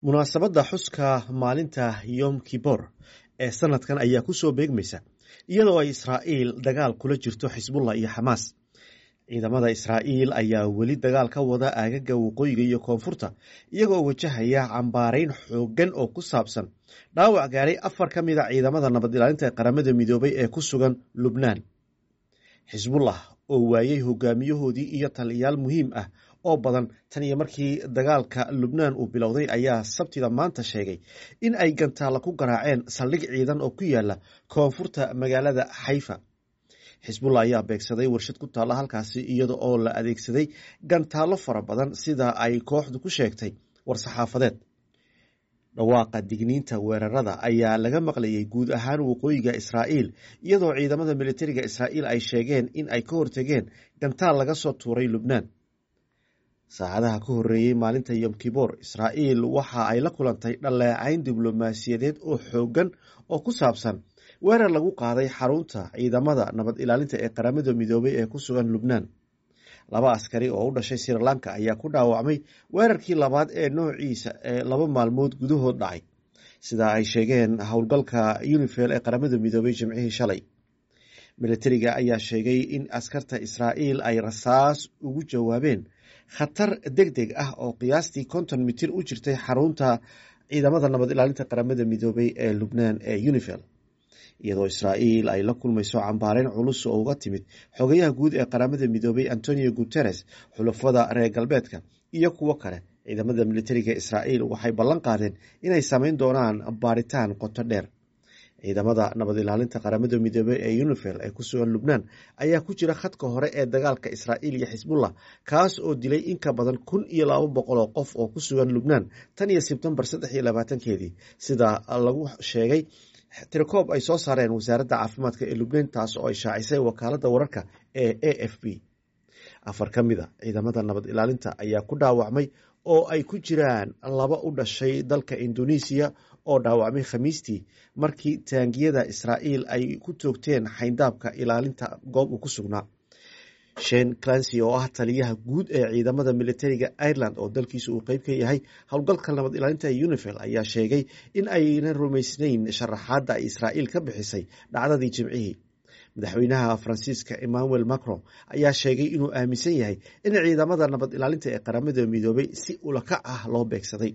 Munaasabadda xuska maalinta Yom Kippur ee sanadkan ayaa ku soo beegmaysa iyadoo ay Israa'iil dagaal kula jirto Xisbullah iyo Xamaas. Ciidamada Israa'iil ayaa weli dagaal ka wada aagaga waqooyiga iyo koonfurta, iyagoo wajahaya cambaareyn xooggan oo ku saabsan dhaawac gaaray afar ka mid a ciidamada nabad ilaalinta ee Qaramada Midoobay ee ku sugan Lubnaan. Xisbullah oo waayay hogaamiyahoodii iyo taliyayaal muhiim ah oo badan tan iyo markii dagaalka Lubnaan uu bilowday ayaa Sabtida maanta sheegay in ay gantaalo ku garaaceen saldhig ciidan oo ku yaala koonfurta magaalada Xayfa. Xisbullah ayaa beegsaday warshad ku taalla halkaasi iyada oo la adeegsaday gantaallo fara badan sida ay kooxdu ku sheegtay war-saxaafadeed. Dhawaaqa digniinta weerarada ayaa laga maqlayay guud ahaan waqooyiga Israa'iil, iyadoo ciidamada militariga Israa'iil ay sheegeen in ay ka hortageen gantaal laga soo tuuray Lubnaan. Saacadaha ka horreeyay maalinta Yom Kippur, Israa'iil waxa ay la kulantay dhaleecayn diblomaasiyadeed oo xooggan oo ku saabsan weerar lagu qaaday xarunta ciidamada nabad ilaalinta ee Qaramada Midoobay ee ku sugan Lubnaan. Laba askari oo u dhashay Sri Lanka ayaa ku dhaawacmay weerarkii labaad ee noociisa ee laba maalmood gudahood dhacay, sida ay sheegeen howlgalka UNIFIL ee Qaramada Midoobay Jimcihii shalay. Militariga ayaa sheegay in askarta Israa'iil ay rasaas ugu jawaabeen khatar degdeg ah oo qiyaastii 50 mitir u jirtay xarunta ciidamada nabad ilaalinta Qaramada Midoobay ee Lubnaan ee UNIFIL. Iyadoo Israa'iil ay la kulmayso cambaareyn culus oo uga timid xogayaha guud ee Qaramada Midoobay Antonio Guterres, xulafada reer galbeedka iyo kuwo kale, ciidamada militariga Israa'iil waxay ballan qaadeen inay samayn doonaan baaritaan qoto dheer. Ciidamada nabad ilaalinta Qaramada Midoobay ee UNIFIL ee ku sugan Lubnaan ayaa ku jira khadka hore ee dagaalka Israa'iil iyo Xisbullah, kaas oo dilay in ka badan 1200 oo qof oo ku sugan Lubnaan tan iyo Sebtembar 23-keedii, sida lagu sheegay tirakoob ay soo saareen wasaaradda caafimaadka ee Lubnaan, taas oo ay shaacisay wakaaladda wararka ee AFP. Afar ka mid a ciidamada nabad ilaalinta ayaa ku dhaawacmay oo ay ku jiraan laba u dhashay dalka Indonesia oo dhaawacmay Khamiistii markii taangiyada Israa'iil ay ku toogteen xayndaabka ilaalinta goob uu ku sugnaa. Shane Clancy oo ah taliyaha guud ee ciidamada militariga Ireland oo dalkiisu uu qeyb ka yahay howlgalka nabad ilaalinta ee UNIFIL ayaa sheegay in aynan rumaysnayn sharaxaadda ay Israa'iil ka bixisay dhacdadii Jimcihii. Madaxweynaha Faransiiska Emmanuel Macron ayaa sheegay inuu aaminsan yahay in ciidamada nabad ilaalinta ee Qaramada Midoobay si ulakac ah loo beegsaday.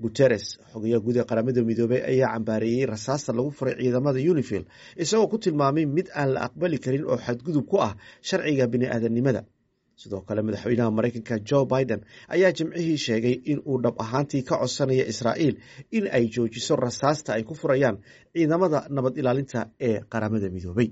Guterres, xogayaha guud ee Qaramada Midoobay, ayaa cambaareeyey rasaasta lagu furay ciidamada UNIFIL, isagoo ku tilmaamay mid aan la aqbali karin oo xadgudub ku ah sharciga bini'aadanimada. Sidoo kale, madaxweynaha Mareykanka Joe Biden ayaa Jimcihii sheegay in uu dhab ahaantii ka codsanayo Israa'iil in ay joojiso rasaasta ay ku furayaan ciidamada nabad ilaalinta ee Qaramada Midoobay.